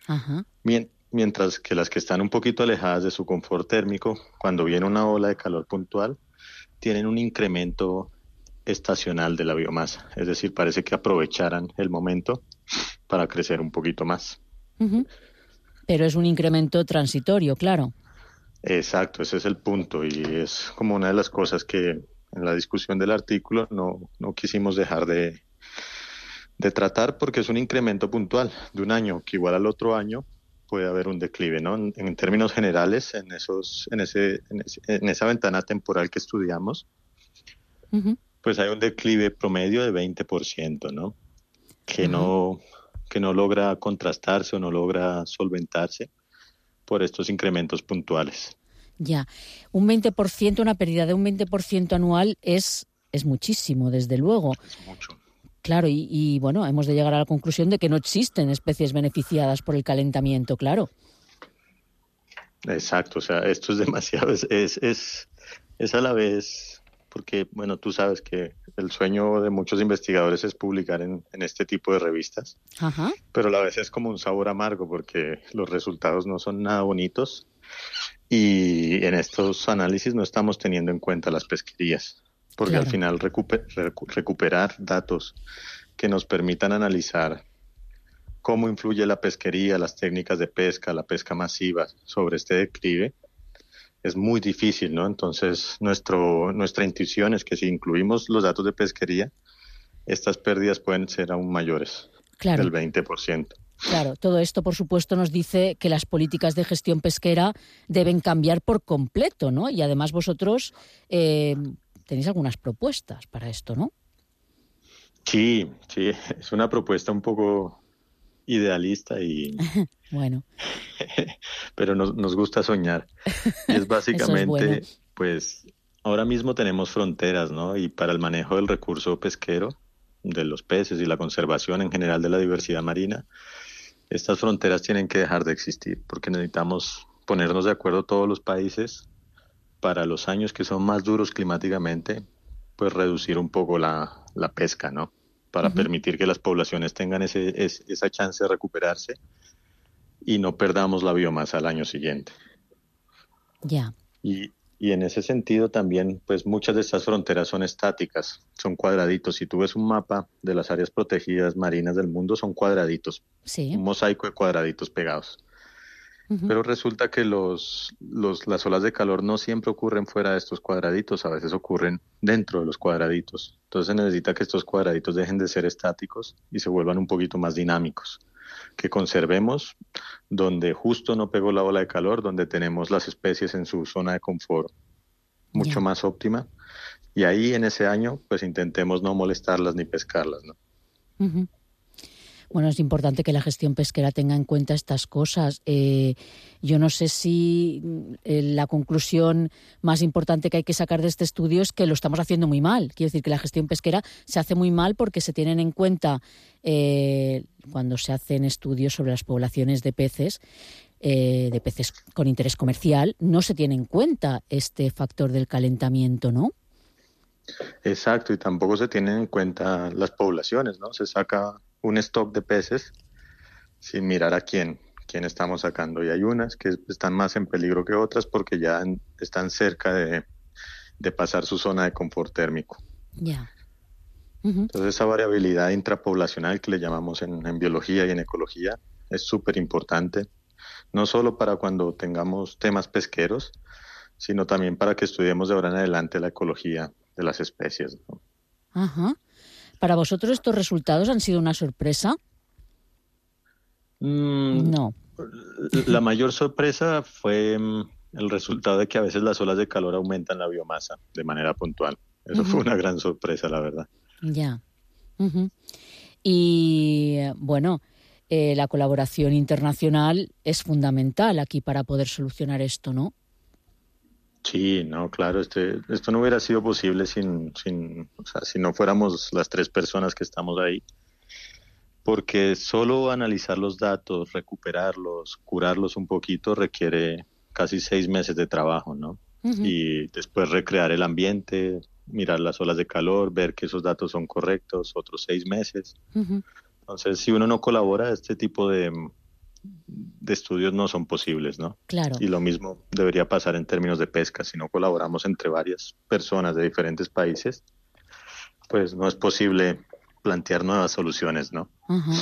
Ajá. Mien- mientras que las que están un poquito alejadas de su confort térmico, cuando viene una ola de calor puntual, tienen un incremento estacional de la biomasa, es decir, parece que aprovecharan el momento para crecer un poquito más. Uh-huh. Pero es un incremento transitorio, claro. Exacto, ese es el punto y es como una de las cosas que en la discusión del artículo no, no quisimos dejar de, de tratar porque es un incremento puntual de un año que igual al otro año puede haber un declive, ¿no? En, en términos generales, en, esos, en, ese, en, ese, en esa ventana temporal que estudiamos, uh-huh. pues hay un declive promedio de veinte por ciento, ¿no? Que uh-huh. no que no logra contrastarse o no logra solventarse por estos incrementos puntuales. Ya, un veinte por ciento, una pérdida de un veinte por ciento anual es, es muchísimo, desde luego. Es mucho. Claro, y, y bueno, hemos de llegar a la conclusión de que no existen especies beneficiadas por el calentamiento, claro. Exacto, o sea, esto es demasiado, es, es, es, es a la vez... Porque, bueno, tú sabes que el sueño de muchos investigadores es publicar en, en este tipo de revistas. Ajá. Pero a la vez es como un sabor amargo porque los resultados no son nada bonitos y en estos análisis no estamos teniendo en cuenta las pesquerías. Porque claro. al final recuper, recu, recuperar datos que nos permitan analizar cómo influye la pesquería, las técnicas de pesca, la pesca masiva sobre este declive, es muy difícil, ¿no? Entonces, nuestro, nuestra intuición es que si incluimos los datos de pesquería, estas pérdidas pueden ser aún mayores, claro. del veinte por ciento. Claro, todo esto, por supuesto, nos dice que las políticas de gestión pesquera deben cambiar por completo, ¿no? Y además vosotros eh, tenéis algunas propuestas para esto, ¿no? Sí, sí, es una propuesta un poco idealista y... bueno. Pero nos, nos gusta soñar. Y es básicamente, Eso es bueno. Pues, ahora mismo tenemos fronteras, ¿no? Y para el manejo del recurso pesquero, de los peces y la conservación en general de la diversidad marina, estas fronteras tienen que dejar de existir porque necesitamos ponernos de acuerdo todos los países para los años que son más duros climáticamente, pues reducir un poco la, la pesca, ¿no? Para uh-huh. permitir que las poblaciones tengan ese, es, esa chance de recuperarse y no perdamos la biomasa al año siguiente. Ya. Y, y en ese sentido también, pues muchas de estas fronteras son estáticas, son cuadraditos. Si tú ves un mapa de las áreas protegidas marinas del mundo, son cuadraditos, sí. un mosaico de cuadraditos pegados. Uh-huh. Pero resulta que los, los, las olas de calor no siempre ocurren fuera de estos cuadraditos, a veces ocurren dentro de los cuadraditos. Entonces se necesita que estos cuadraditos dejen de ser estáticos y se vuelvan un poquito más dinámicos. Que conservemos donde justo no pegó la ola de calor, donde tenemos las especies en su zona de confort mucho yeah. más óptima. Y ahí en ese año pues intentemos no molestarlas ni pescarlas, ¿no? Uh-huh. Bueno, es importante que la gestión pesquera tenga en cuenta estas cosas. Eh, yo no sé si eh, la conclusión más importante que hay que sacar de este estudio es que lo estamos haciendo muy mal. Quiero decir que la gestión pesquera se hace muy mal porque se tienen en cuenta, eh, cuando se hacen estudios sobre las poblaciones de peces, eh, de peces con interés comercial, no se tiene en cuenta este factor del calentamiento, ¿no? Exacto, y tampoco se tienen en cuenta las poblaciones, ¿no? Se saca un stock de peces sin mirar a quién, quién estamos sacando. Y hay unas que están más en peligro que otras porque ya están cerca de, de pasar su zona de confort térmico. Ya. Yeah. Uh-huh. Entonces esa variabilidad intrapoblacional que le llamamos en, en biología y en ecología es súper importante, no solo para cuando tengamos temas pesqueros, sino también para que estudiemos de ahora en adelante la ecología de las especies, ¿no? Ajá. Uh-huh. ¿Para vosotros estos resultados han sido una sorpresa? Mm, no. La mayor sorpresa fue el resultado de que a veces las olas de calor aumentan la biomasa de manera puntual. Eso uh-huh. fue una gran sorpresa, la verdad. Ya. Uh-huh. Y, bueno, eh, la colaboración internacional es fundamental aquí para poder solucionar esto, ¿no? Sí, no, claro, este, esto no hubiera sido posible sin, sin, o sea, si no fuéramos las tres personas que estamos ahí, porque solo analizar los datos, recuperarlos, curarlos un poquito requiere casi seis meses de trabajo, ¿no? Uh-huh. Y después recrear el ambiente, mirar las olas de calor, ver que esos datos son correctos, otros seis meses. Uh-huh. Entonces, si uno no colabora, este tipo de... de estudios no son posibles, ¿no? Claro. Y lo mismo debería pasar en términos de pesca. Si no colaboramos entre varias personas de diferentes países, pues no es posible plantear nuevas soluciones, ¿no? Uh-huh.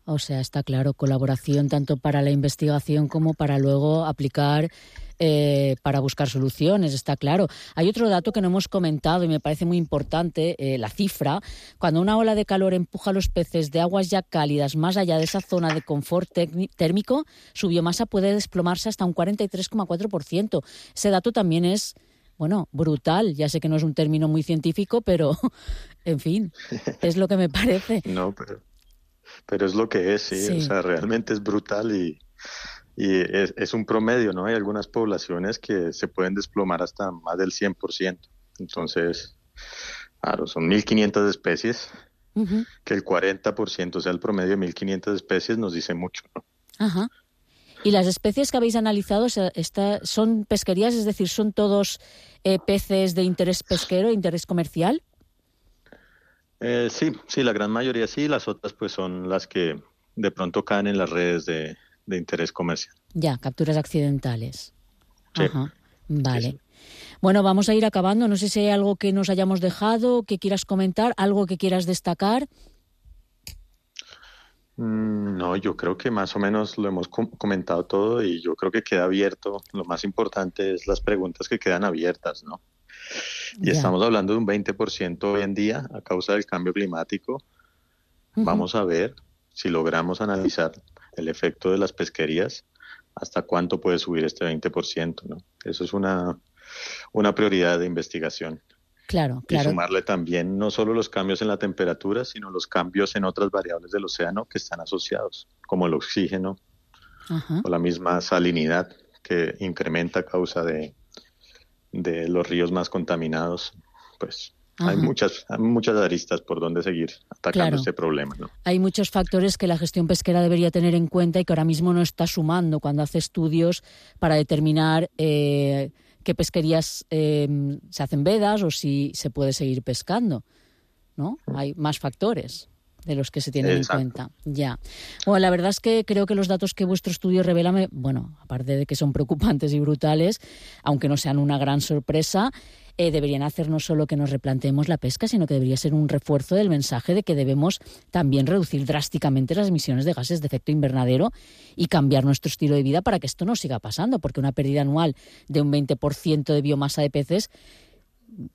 O sea, está claro, colaboración tanto para la investigación como para luego aplicar, eh, para buscar soluciones, está claro. Hay otro dato que no hemos comentado y me parece muy importante, eh, la cifra. Cuando una ola de calor empuja a los peces de aguas ya cálidas más allá de esa zona de confort térmico, su biomasa puede desplomarse hasta un cuarenta y tres coma cuatro por ciento. Ese dato también es, bueno, brutal. Ya sé que no es un término muy científico, pero, en fin, es lo que me parece. No, pero... Pero es lo que es, sí, sí. O sea, realmente es brutal y, y es, es un promedio, ¿no? Hay algunas poblaciones que se pueden desplomar hasta más del cien por ciento. Entonces, claro, son mil quinientas especies, uh-huh. que el cuarenta por ciento sea el promedio de mil quinientas especies nos dice mucho, ¿no? Ajá. ¿Y las especies que habéis analizado esta, son pesquerías, es decir, son todos eh, peces de interés pesquero, de interés comercial? Eh, sí, sí, la gran mayoría sí, las otras pues son las que de pronto caen en las redes de, de interés comercial. Ya, capturas accidentales. Sí. Ajá, vale. Sí, sí. Bueno, vamos a ir acabando. No sé si hay algo que nos hayamos dejado, que quieras comentar, algo que quieras destacar. Mm, no, yo creo que más o menos lo hemos com- comentado todo y yo creo que queda abierto. Lo más importante es las preguntas que quedan abiertas, ¿no? Y ya. Estamos hablando de un veinte por ciento hoy en día a causa del cambio climático. Uh-huh. Vamos a ver si logramos analizar el efecto de las pesquerías, hasta cuánto puede subir este veinte por ciento, ¿no? Eso es una, una prioridad de investigación. Claro, claro. Y sumarle también no solo los cambios en la temperatura, sino los cambios en otras variables del océano que están asociados, como el oxígeno, uh-huh. o la misma salinidad que incrementa a causa de de los ríos más contaminados. Pues Ajá. hay muchas hay muchas aristas por donde seguir atacando claro. este problema, ¿no? Hay muchos factores que la gestión pesquera debería tener en cuenta y que ahora mismo no está sumando cuando hace estudios para determinar eh, qué pesquerías eh, se hacen vedas o si se puede seguir pescando, ¿no? Hay más factores de los que se tienen Exacto. en cuenta. Ya. Bueno, la verdad es que creo que los datos que vuestro estudio revela, me, bueno, aparte de que son preocupantes y brutales, aunque no sean una gran sorpresa, eh, deberían hacer no solo que nos replanteemos la pesca, sino que debería ser un refuerzo del mensaje de que debemos también reducir drásticamente las emisiones de gases de efecto invernadero y cambiar nuestro estilo de vida para que esto no siga pasando, porque una pérdida anual de un veinte por ciento de biomasa de peces,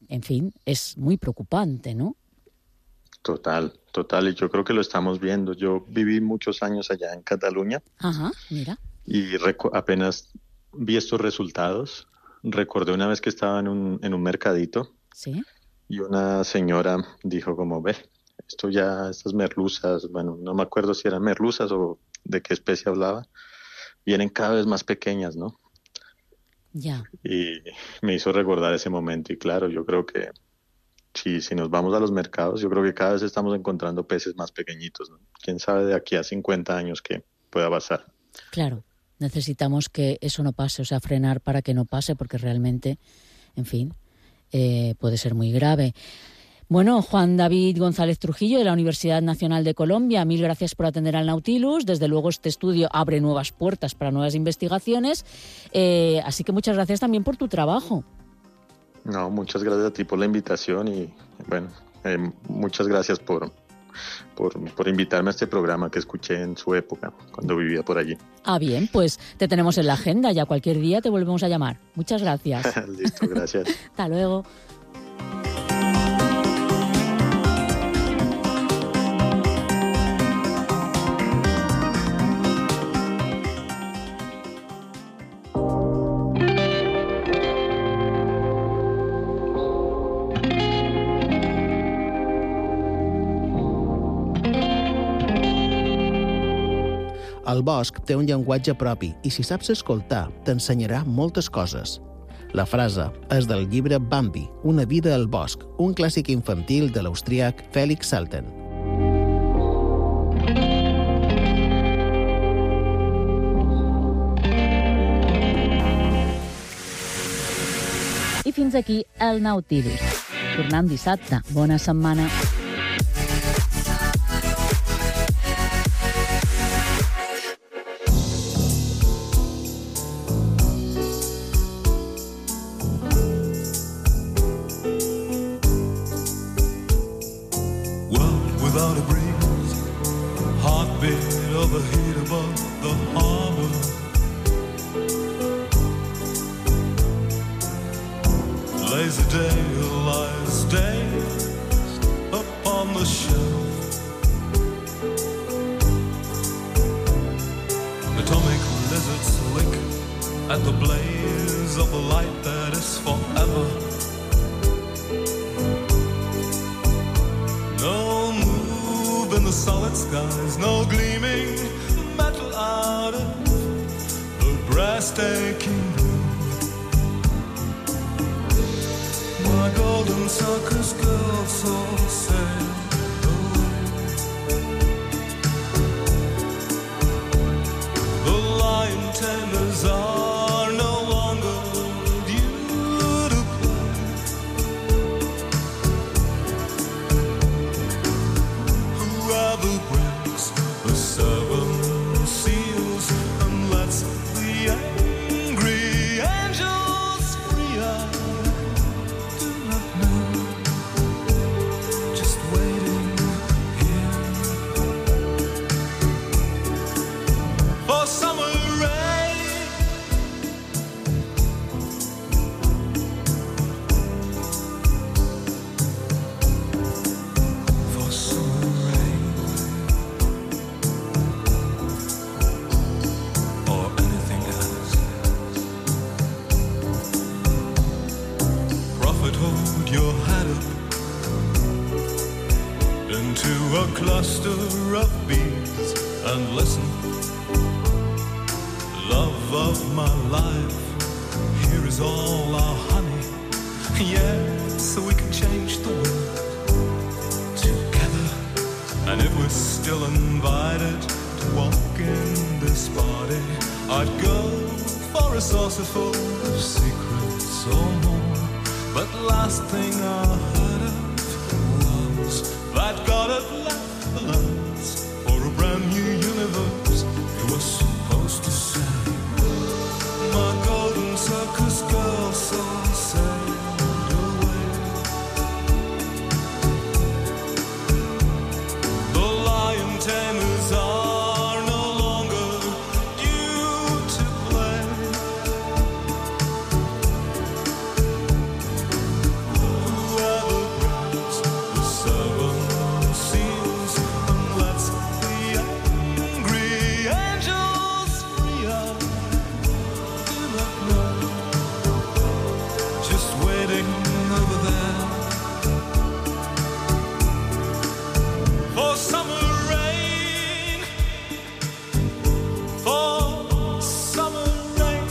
en fin, es muy preocupante, ¿no? Total, total, y yo creo que lo estamos viendo. Yo viví muchos años allá en Cataluña. Ajá, mira. Y recu- apenas vi estos resultados, recordé una vez que estaba en un, en un mercadito. Sí. Y una señora dijo como, ve, esto ya, estas merluzas, bueno, no me acuerdo si eran merluzas o de qué especie hablaba, vienen cada vez más pequeñas, ¿no? Ya. Y me hizo recordar ese momento, y claro, yo creo que Si, si nos vamos a los mercados, yo creo que cada vez estamos encontrando peces más pequeñitos, ¿no? ¿Quién sabe de aquí a cincuenta años qué pueda pasar? Claro, necesitamos que eso no pase, o sea, frenar para que no pase, porque realmente, en fin, eh, puede ser muy grave. Bueno, Juan David González Trujillo, de la Universidad Nacional de Colombia, mil gracias por atender al Nautilus. Desde luego este estudio abre nuevas puertas para nuevas investigaciones, eh, así que muchas gracias también por tu trabajo. No, muchas gracias a ti por la invitación y, bueno, eh, muchas gracias por, por, por invitarme a este programa que escuché en su época, cuando vivía por allí. Ah, bien, pues te tenemos en la agenda, ya cualquier día te volvemos a llamar. Muchas gracias. Listo, gracias. Hasta luego. El bosc té un llenguatge propi i si saps escoltar, t'ensenyarà moltes coses. La frase és del llibre Bambi, una vida al bosc, un clàssic infantil de l'austríac Felix Salten. I fins aquí el Nautilus. Tornem dissabte. Bona setmana. Without a breeze, heartbeat of a heat above the harbor. Lazy day lies dazed upon the shelf. Atomic lizards lick at the blaze of the light that is forever. No move in the solid skies, no gleaming metal out of the breathtaking blue. My golden circus girl so sail away. The lion tamers are no longer due to play. Whoever breaks the seven seals and lets the angry angels free, I do not know. Just waiting here for summer rain. For summer rain. Or anything else. Prophet, hold your head up into a cluster of bees and listen. Love of my life, here is all our honey. Yes, so we can change the world together. And if we're still invited to walk in this party, I'd go for a saucerful of secrets. or more. But last thing I heard of was that God had left the lands for a brand new universe. It was supposed to say, my golden circus girl saw sailed away. The lion tamers are no longer due to play. Whoever grabs the seven seals and lets the angry angels free, I do not know. Just waiting over there for summer rain, for summer rain,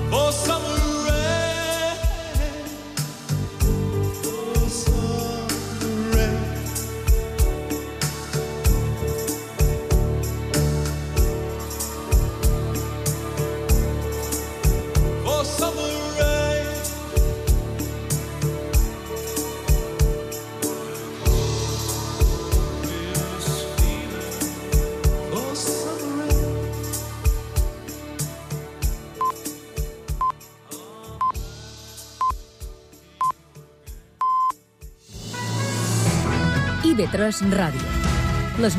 for summer rain, for summer rain. For summer rain. This feeling for summer rain. I V tres Ràdio.